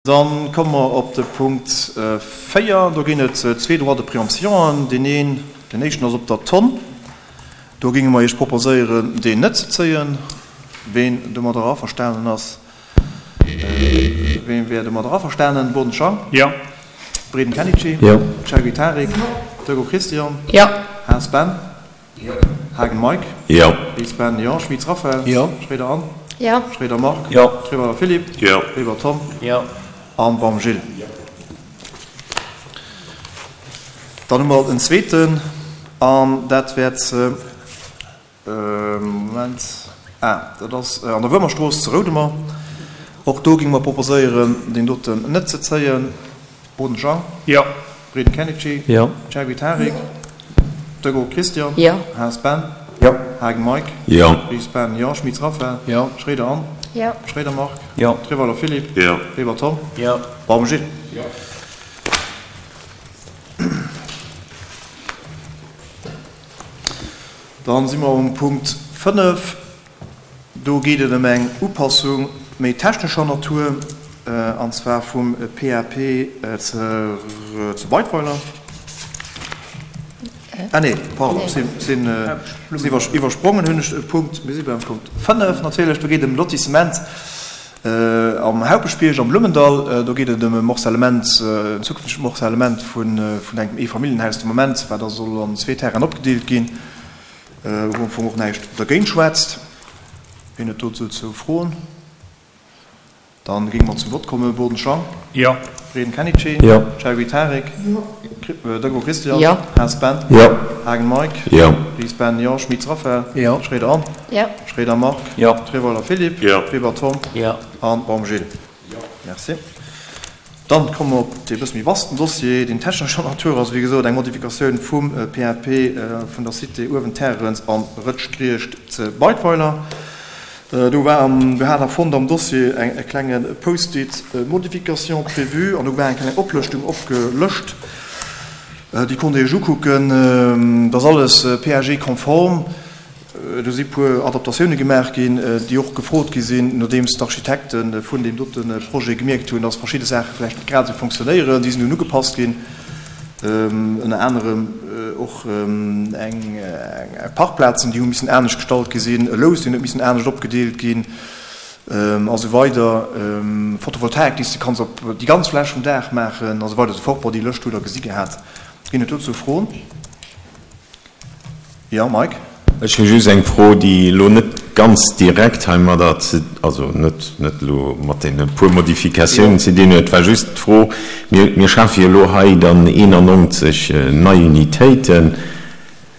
Dann komme mer op de Punkt 4. Do ginn et zwee Droits de préemptionen. Deen een, deen éischten ass op der Tonn. Do géinge mer Iech proposéieren, deen net ze zéien. Ween domadder averstanen ass? Ween wär domadder averstanen? Boden Jean? Jo. Breden Kenichi? Jo. Chergui Tarik? Jo. Dögo Christian? Jo. Haas Ben? Jo. Haagen Mike? Jo. Ries Ben? Jo. Schmitz Raphaël? Jo. Schroeder Anne? Jo. Schroeder Marc? Jo. Treweiler Philippe? Jo. Weber Tom? Jo. An Baum Gilles? Jo. Dann hu mer en zweeten, an dat wäert Moment, ah, dat ass an der Wuermerstrooss zu Roudemer. Och do géinge mer proposéieren, deen doten net ze zéien. Boden Jean. Jo. Breden Kenichi. Jo. Chergui Tarik. Jo. Dögo Christian. Jo. Haas Ben. Jo. Haagen Mike. Jo. Ries Ben, jo. Schmitz Raphaël. Jo. Schroeder Anne. Jo. Schroeder Marc. Jo. Treweiler Philippe. Jo. Weber Tom. Jo. Baum Gilles. Jo. Dann si mer um Punkt 5. Do geet et ëm eng Upassung méi technescher Natur, an zwar vum PAP zu Beidweiler. Ah nee, pardon, ech sinn iwwersprongen, hunn ech e Punkt. Mir si beim Punkt 5 natierlech. Do geet et ëm Lotissement am Haupeschbierg am Blummendall. Do geet et ëm e Morcellement, en zukünftegt Morcellement vun engem Eefamilljenhaus de Moment, wat da soll an zwee Terrainen opgedeelt ginn. Wou am Fong och näischt dergéint schwätzt. Wien huet dozou Froen? Dann géinge mer zum Vott kommen. Boden Jean. Jo. Breden Kenichi. Jo. Chergui Tarik. Jo. Dögo Christian. Jo. Haas Ben. Jo. Haagen Mike. Jo. Ries Ben, jo. Schmitz Raphaël. Jo. Schroeder Anne. Jo. Schroeder Marc. Jo. Treweiler Philippe. Jo. Weber Tom. Jo. An Baum Gilles. Jo. Merci. Dann komme mer op dee bësse méi vasten Dossier, deen technescher Natur ass, wéi gesot eng Modifikatioun vum PAP vun der Cité Uewenterrens an Rëtschgriecht ze Beidweiler. Do war am, do hat Der fonnt am Dossier eng e klenge Post-it Modification prévue an do war eng kleng Oplëschtung opgelëscht. Déi konnt Der Iech ukucken. Dat ass alles PAG-konform. Do si puer Adaptatioune gemaach ginn, déi och gefrot gi sinn, nodeems d'Architekte vun deem dote Projet gemierkt hunn, dass verschidde Saache vläicht net grad esou fonctionnéieren. Déi sinn dunn ugepasst ginn, ënner anerem och eng Parkplazen, déi hu missen anescht gestallt gi sinn, e Lous, deen huet missen anescht opgedeelt ginn a sou weider. Photovoltaik, déi s de kanns op déi ganz Fläch vum Daach maachen a sou weider a sou fort. Bon, déi Lëscht hutt Der gesi gehat. Ginn et dozou Froen? Jo, Mike? Ech hu just eng Fro, déi elo net ganz direkt heimadder ze, also net, net elo mat deene puer Modifikatiounen ze dinn huet. Et war just d'Fro, mir, mir schafe jo elo hei dann 91 nei Unitéiten.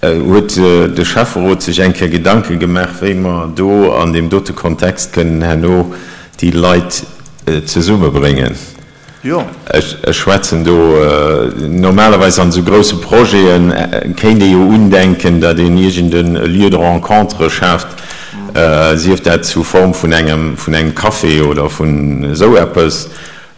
Huet de Schäfferot sech eng Kéier Gedanke gemaach, wéi mer do an deem dote Kontext kënnen herno déi Leit zesummebréngen? Jo. Ech schwätzen do, normalerweis an esou grousse Projete kéint ee jo undenken, datt een iergend e Lieu de rencontre schaaft, sief dat sous forme vun engem, vun engem Café oder vun esou eppes,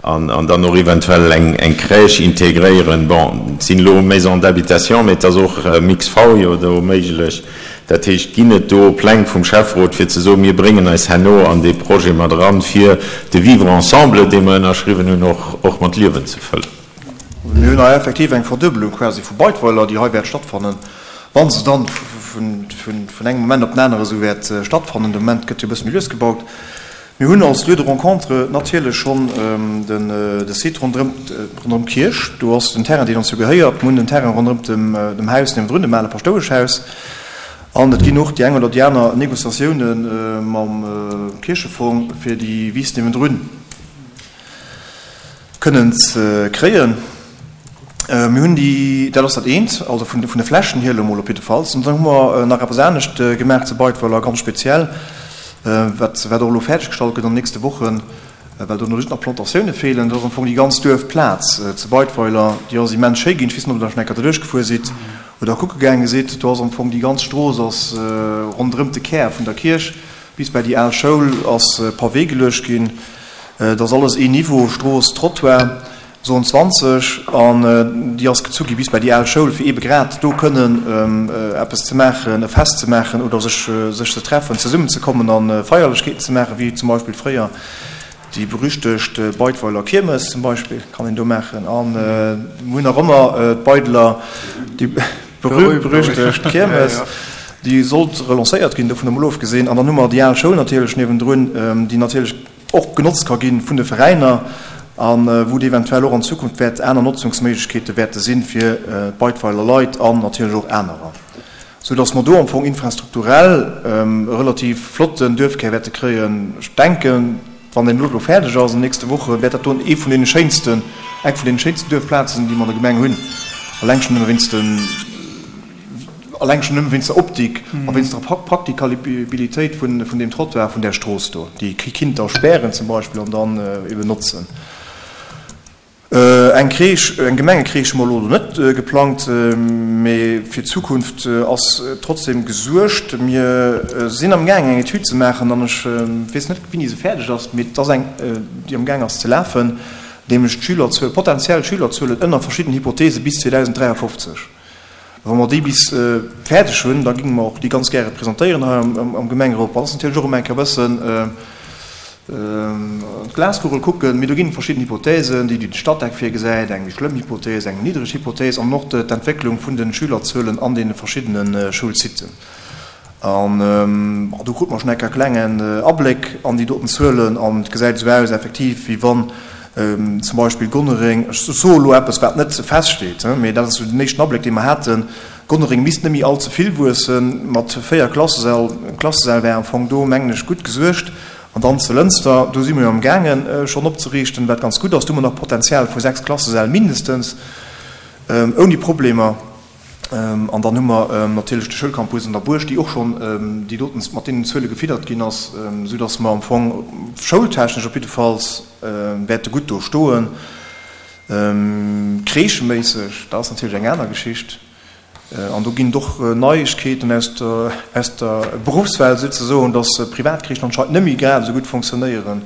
an dann och eventuell eng Crèche integréieren. Bon, et sinn elo Maisons d'habitation, mee et ass och Mix-V jo do méiglech. Dat heescht, ginn et do Pläng vum Schäfferot, fir ze soen, mir bréngen eis herno an dee Projet mat eran, fir de Vivre ensemble, dee mer ënnerschriwwen hunn, och, och mat Liewen ze fëllen? Mir hunn hei effektiv eng Verduebelung quasi vu Beidweiler, déi hei wäert stattfannen, wa se dann vun engem Moment op den anere esou wäert stattfannen. De Moment gëtt jo e bësse méi lues gebaut. Mir hunn als Lieu de rencontre natierlech schonn de Site ronderëm d'Kierch. Do ass den Terrain, deen ons jo gehéiert. Mir hunn den Terrain ronderëm dem Haus niewendrun, dem ale Paschtoueschhaus. An et ginn och déi eng oder déi aner Négociatioune mam Kierchefong, fir déi Wiss niewendrun kënnen ze kréien. Mir hunn déi, dat ass dat eent, also vun de Flächen hier elo mol op jiddefalls. An dann hu mer nach eppes anescht gemaach zu Beidweiler, ganz speziell, wat wat och elo fäerdeggestallt gëtt an den nächste Wochen, well do just nach Plantatioune feelen. Dat ass am Fong déi ganz Duerfplaz zu Beidweiler, déi ass immens schéi ginn. Ech weess net, ob Der schonn eng Kéier derduerch gefuer sidd oder kucke gaange sidd. Do ass am Fong déi ganz Strooss ass ronderëm de Kär vun der Kierch bis bäi déi al Schoul ass Pavé geluecht ginn. Et ass alles een Niveau, Strooss, Trottoir, Zone 20, an déi ass gezu gi bis bei déi al Schoul, fir eebe grad do kënnen eppes ze maachen, e Fest ze maachen oder sech sech ze treffen, zesummenzekommen a Feierlechkeeten ze maachen, wéi zum Beispill fréier. Déi berüchtegt Beidweiler Kiermes zum Beispill kann een do maachen. A mir hunn nach ëmmer d'Beideler, déi berühmt-berüchtegt Kiermes, déi sollt relancéiert ginn, dovun emol ofgesinn. An dann hu mer déi al Schoul natierlech niewendrun, déi natierlech och genotzt ka gi vun de Veräiner a wou et eventuell och an Zukunft wäert aner Notzungsméiglechkeete wäerte sinn fir d'Beidweiler Leit an natierlech och anerer. Sou dass mer do am Fong infrastrukturell e relativ flotten Duerfkär wäerte kréien. Ech denken, wann deen elo do fäerdeg ass an den nächste Wochen, wäert dat do ee vun deene schéinsten, eng vun deene schéinsten Duerfplazen, déi mer an der Gemeng hunn, alleng schonn nëmme wéinst den, alleng schonn nëmme wéinst der Optik a wéinst der Praktikabilitéit vun deem Trottoir, vun där Strooss do, déi ee kinnt da spären zum Beispill an dann eben notzen. Eng Crèche, eng Gemengecrèche hu mer elo do net geplangt, mee fir d'Zukunft ass trotzdem gesuergt. Mir sinn am gaang eng Etüd ze maachen an ech weess net wéini se fäerdeg ass, mee et ass eng déi am gaang ass ze lafen, nämlech d'Schülerzuel, potenziell Schülerzuelen ënner verschiddenen Hypothese bis 2053. Wa mer déi bis fäerdeg hunn, da géinge mer och déi ganz gäre presentéieren hei am Gemengerot. Dat ass natierlech och ëmmer eng Kéier e bëssen, An d'Glaskugel kucken, mee do ginn et verschidden Hypothesen, déi de Statec virgesäit, eng méi schlëmm Hypothese, eng méi niddreg Hypothese an och d'Entwécklung vun de Schülerzuelen an deene verschiddene Schoulsiten. An do krut mer schonn eng Kéier e klengen Abléck an déi doten Zuelen an et gesäit esou aus effektiv, wéi wann zum Beispill Gonnereng, ech soe elo eppes, wat net feststeet, mee dat ass esou den éischten Abléck, dee mer haten, Gonnereng misst net méi all ze vill wuessen, mat 4 Klassesäll, Klassesäll wär am Fong do, mengen ech, gutt gesuergt. An dann zu Lënster, do si mer jo am gaangen schonn opzeriichten, wat ganz gutt ass. Do hu mer nach Potenzial vu 6 Klassesäll mindestens, ouni Problemer. An dann hu mer natierlech de Schoulcampus an der Buerg, déi och schonn déi doten mat deenen Zuele gefiddert ginn ass, soudass mer am Fong schoultechnesch op jiddefalls wäerte gutt do stoen. Crècheméisseg, dat ass natierlech eng aner Geschicht. An do ginn et och Neiegkeeten aus der, aus der Beruffswelt souzesoen, dass Privatcrèchen anscheinend net méi grad esou gutt fonctionnéieren,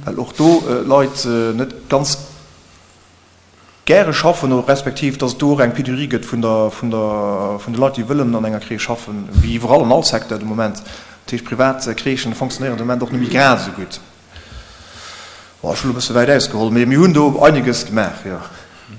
well och do d'Leit net ganz gäre schaffen oder respektiv dass et do och eng Pénurie gëtt vun der, vun der, vun de Leit, déi wëllen an enger Crèche schaffen, wéi iwwerall an all Secteur de Moment. Dat heescht, privat Crèchen fonctionnéieren de Moment och net méi grad esou gutt. Bon, ech hunn elo e bësse wäit ausgeholl, mee mir hunn do einiges gemaach, jo.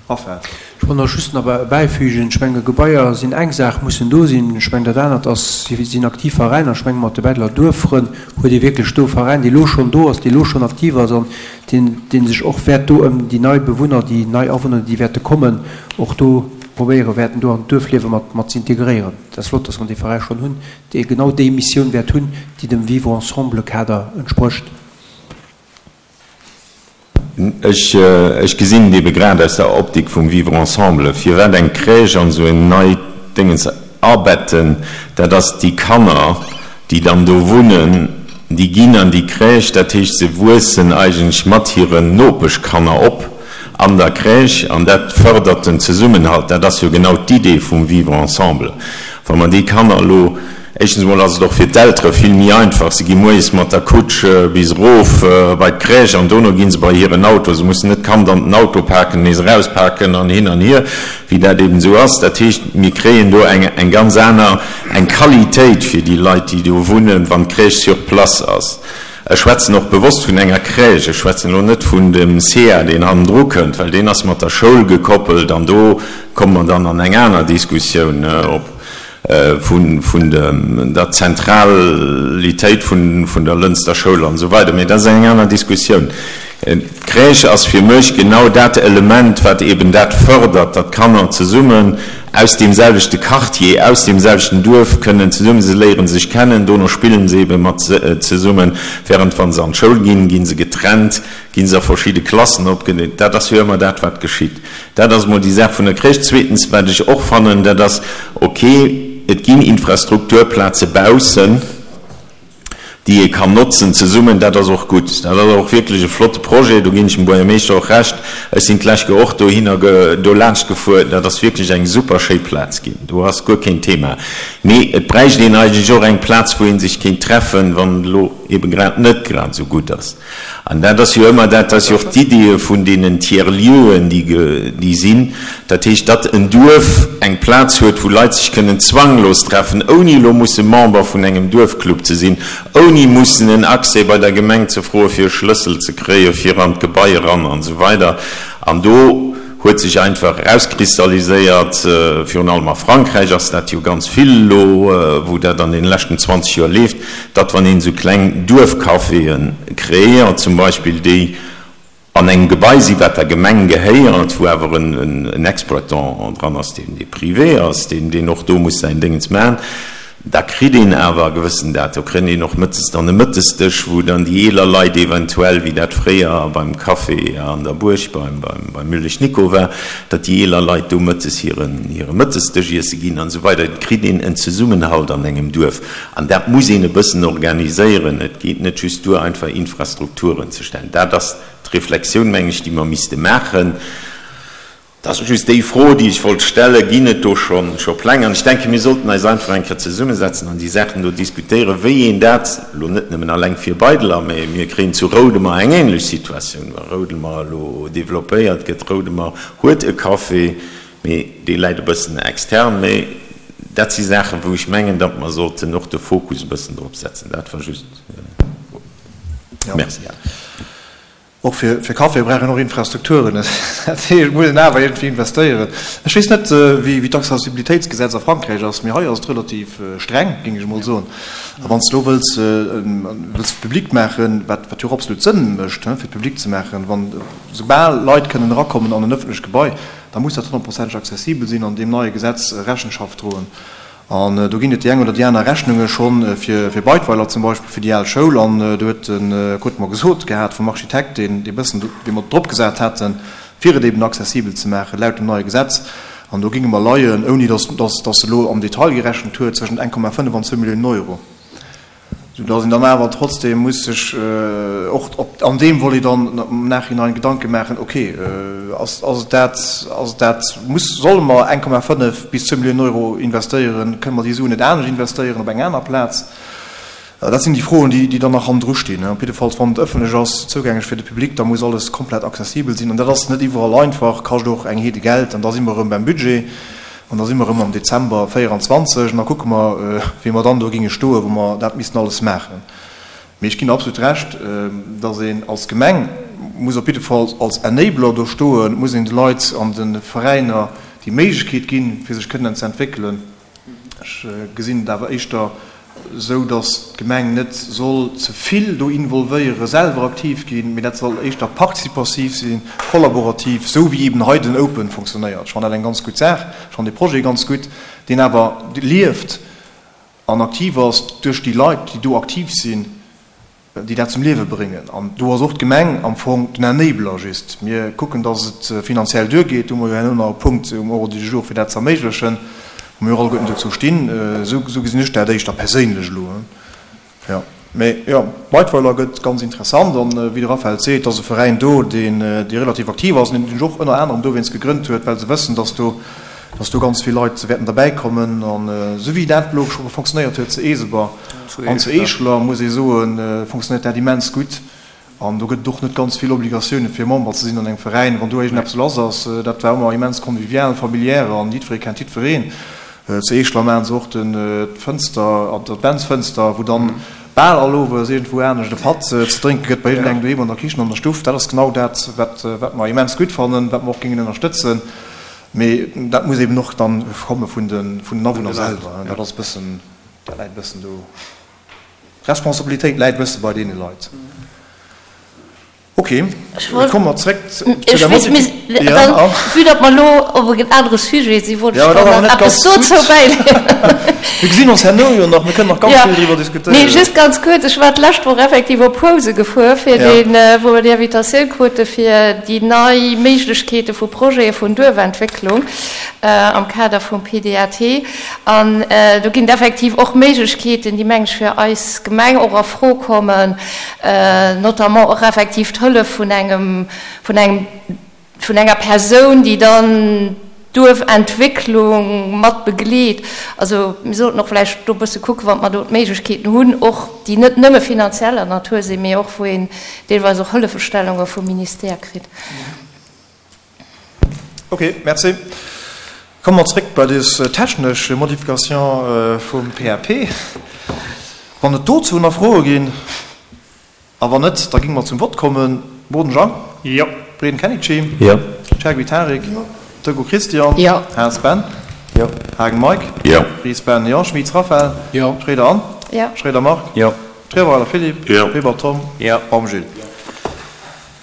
Raphael. Ech wollt nach just nach bäifügen, ech menge Gebaier sinn eng Saach, mussen do sinn. Ech mengen dat anert ass, si sinn aktiv Veräiner. Ech menge mat de Betteler Duerffrënn huet ee wierklech do e Veräin, dee lo schonn do ass, dee lo schonn aktiv ass an deen, dee sech och wäert do ëm déi nei Bewunner, déi nei Awunner, déi wäerte kommen, och do probéiere wäerten do an d'Duerfliewe mat, mat ze integréieren. Dat ass flott, dass mer dee Veräi schonn hunn, dee genau déi Missioun wäert hunn, déi dem Vivre-ensemble-Kader entsprécht. Ech gesinn et ebe grad aus der Optik vum Vivre ensemble. Firwat eng Crèche an esou en neit Déngens abetten, dat ass déi Kanner, déi dann do wunnen, déi ginn an déi Crèche, dat heescht se wuessen eigentlech mat hiren Nopeschkanner op an der Crèche an dat fërdert den Zesummenhalt. Dat ass jo genau d'Idee vum Vivre ensemble. Wa mer déi Kanner elo Éischtens emol ass et och fir d'Eltere vill méi einfach, se gi moies mat der Kutsch bis erof bei d'Crèche an dono gi se bei hiren Auto. Se mussen net d'Kand an den Auto paken, nees erauspaken an hin an hier, wéi dat eben esou ass. Dat heescht, mir kréien do eng eng ganz aner, eng Qualitéit fir déi Leit, déi do wunnen, wann d'Crèche sur place ass. Ech schwätzen och bewosst vun enger Crèche, ech schwätzen elo net vun dem SEA, deen hannendru kënnt, well deen ass mat der Schoul gekoppelt an do komme mer dann an eng aner Diskussioun, ob vun der Zentralitéit vun der Lënster Schoul an esou weider. Mee dat ass eng aner Diskussioun. D'Crèche ass fir mech genau dat Element, wat eben dat fërdert, datt d'Kanner zesummen aus deem selwechte Quartier, aus deem selwechten Duerf kënnen zesummen, se léiere sech kennen, dono spillen se ebe mat zesummen, während wa se an d'Schoul ginn, gi se getrennt, gi se a verschidde Klassen opgedeelt. Dat ass jo ëmmer dat, wat geschitt. Dat ass emol déi Saach vun der Crèche. Zweetens, wat ech och fannen, dat ass, ok, et ginn Infrastrukturplaze baussen, déi ee kann notzen zesummen. Dat ass och gutt. Dat ass och wierklech e flotte Projet, do ginn ech dem Buergermeeschter och Recht. Ech sinn d'lescht Joer och dohinner, do laanscht gefuer. Dat ass wierklech eng super schéi Plaz ginn. Do ass guer keen Thema. Mee et bräicht een eigentlech och eng Plaz, wou ee sech kéint treffen, wann elo. ebe grad net grad esou gutt ass. An dat ass jo ëmmer, dat ass jo och d'Idee vun deenen Tiers-lieuxen, déi, déi sinn, dat heescht, datt en Duerf eng Plaz huet, wou Leit sech kënnen zwanglos treffen, ouni elo musse Member vun engem Duerfclub ze sinn, ouni mussen en Accès bei der Gemeng ze froe fir e Schlëssel ze kréie fir an d'Gebai eran an esou weider. An do huet sech einfach erauskristalliséiert, virun allem a Frankräich ass dat jo ganz vill elo, wou dat an deene leschten 20 Joer leeft, datt wann een esou kleng Duerfcaféë kreéiert zum Beispill, déi an engem Gebai sinn, wat der Gemeng gehéiert, wou awer en Exploitant dran ass, deen dee privé ass, deen deen och do muss säin Déngens maachen, da kritt een awer e gewëssen dat. Do kritt een och mëttes dann e Mëttesdësch, wou dann déi eeler Leit eventuell, wéi dat fréier beim Café an der Buerg beim beim Müllesch Nico war, datt déi eeler Leit do mëttes hiren hire Mëttesdësch iesse ginn an esou weider. Et kritt een en Zesummenhalt an engem Duerf an dat muss een e bëssen organiséieren. Et geet net just duer, einfach Infrastrukturen ze stellen. Dat ass d'Reflexioun, meng ech, déi mer misste maachen. Dat ass just déi Fro, déi ech wollt stellen. Ginn et do scho scho Pläng? An ech denken, mir sollten eis einfach eng Kéier zesummesetzen an déi Saachen do diskutéieren, wéi een dat, elo net nëmmen alleng fir Beideler, mä mir kréien zu Roudemer eng ähnlech Situatioun, wa Roudemer elo développéiert gëtt. Roudemer huet e Café, mee dee läit e bëssen extern. Mee dat si Saachen, wou ech mengen, datt mer sollten och de Fokus e bëssen drop setzen. Dat war just. Merci. Och fir Caféë brauch een och Infrastrukturen. Dat heescht, et muss een awer iergendwéi investéieren. Ech weess net, wéi d'Accessibilitéitsgesetz a Frankräich ass, mee hei ass et relativ streng, géing ech emol soen. A wann s de elo wëlls wëlls public maachen, wat jo och absolut Sënn mécht, fir et public ze maachen, wann soubal Leit kënnen erakommen an en ëffentlecht Gebai, da muss dat honnertprozenteg accessibel sinn an deem neie Gesetz Rechenschaft droen. An do ginn et déi eng oder déi aner Rechnunge schonn fir Beidweiler zum Beispill, fir déi al Schoul. An do huet de krute mer gesot gehat vum Architekt, deen dee bëssen, dee mer drop gesat haten, fir et eben accessibel ze maachen laut dem neie Gesetz. An do géinge mer leien, ouni datt datt e lo am Detail gerechent huet, zwëschent 1,5 an zwou Milliounen Euro. Sou dass een dann awer trotzdem muss sech och op an deem Volet dann am Nachhinein Gedanke maachen, okay, ass ass et dat, ass et dat, muss, solle mer 1,5 bis 2 Milliounen Euro investéieren, kënne mer déi Suen net anescht investéieren op eng aner Plaz? Dat sinn déi Froen, déi déi dann nach hannendru stinn. Op jiddefalls, wann et ëffentlech ass, zougänglech fir de Public, da muss alles komplett accessibel sinn. An dat ass net iwwerall einfach, kascht och eng Heede Geld. An da si mer erëm beim Budget. An da si mer erëm am Dezember 24 an da kucke mer, wéi mer dann do géinge stoen, wou mer dat missten alles maachen. Mee ech ginn der absolut Recht, dass een als Gemeng muss op jidde Fall als Enabler do stoen, et muss een de Leit an de Veräiner déi Méiglechkeet ginn, fir sech kënnen ze entwéckelen. Ech gesinn et awer éischter esou, datt d'Gemeng net soll ze vill do involvéieren, selwer aktiv ginn, mee dat soll éischter participativ sinn, kollaborativ, esou wéi eben hei den Open funktionéiert. Ech fannen dat eng ganz gutt Saach, ech fannen dee Projet ganz gutt, deen awer lieft an aktiv ass duerch déi Leit, déi do aktiv sinn. déi dat zum Liewe bréngen. An do ass och d'Gemeng am Fong den Enabler just. Mir kucken, dass et finanziell duergeet. Do hu mer jo herno nach e Punkt um Ordre du jour, fir dat ze erméiglechen, wou mir och alleguerten dozou stinn. Esou gesinn ech dat éischter perséinlech elo. Jo, mee jo, Beidweiler gëtt ganz interessant. An wéi de Raphaël seet, et ass e Veräin do, deen, dee relativ aktiv ass an deen sech och ënner anerem dowéinst gegrënnt huet, well se wëssen, dass do, dass do ganz vill Leit wäerten derbäikommen. An esou wéi dat elo scho fonctionnéiert huet zu Eeseber an zu Eescheler, muss ee soen, fonctionnéiert dat immens gutt. An do gëtt et och net ganz vill Obligatioune fir Member ze sinn an engem Veräin, wann do iergendeppes lass ass. Dat war ëmmer immens convivial, familiär an jiddweree kennt jiddwereen. Zu Eescheler maachen se och d'Fënster, d'Adventsfënster, wou dann bal all Owes iergendwou anescht e Patt ze drénke gëtt, bei iergendengem doheem an der Kichen, an der Stuff. Dat ass genau dat, wat mer immens gutt fannen, wat mer och géingen ënnerstëtzen. Mee dat muss eben och dann komme vun den Awunner selwer. Dat ass e bëssen, dat läit e bëssen do, d'Responsabilitéit läit e bësse bei deene Leit. Ok, da komme mer zréck zu der Modifikatioun. Vue datt mer elo op en anere Sujet sinn, wollt ech dann nach eppes dozou bäileeën. Mir gesinn ons herno jo nach, mir kënnen nach ganz vill driwwer diskutéieren. Nee, just ganz kuerz, Ech war d'lescht Woch effektiv op Housen gefuer, fir deen, wou mer déi Invitatioun krute fir déi nei Méiglechkeete vu Projete vun Duerfentwécklung am Kader vum PDAT. An do ginn et effektiv och Méiglechkeeten, déi, meng ech, fir eis Gemeng och a Fro kommen, notamment och effektiv d'Hëllef vun engem, vun engem, vun enger Persoun, déi dann. Duerfentwécklung mat begleet. Also mir sollten och vläicht do e bësse kucken, wann mer do d'Méiglechkeeten hunn, och déi net nëmme finanzieller Natur sinn, mee och wou een deelweis och Hëllefestellunge vum Ministère kritt. Ok, merci. Komme mer zréck bei des technesch Modification vum PAP. Wann et dozou nach Froe ginn? A wann net, da géinge mer zum Vott kommen. Boden Jean. Jo. Breden Kennedy. Jo. Chergui Tarik. Jo. Deco Christian. Jo. Haas Ben. Jo. Haagen Mike. Jo. Ries Ben. Jo. Schmit Raphaël. Jo. Schroeder Anne. Jo. Schroeder Marc. Jo. Trierweiler Philippe. Jo. Weber Tom. Jo. Baum Gilles.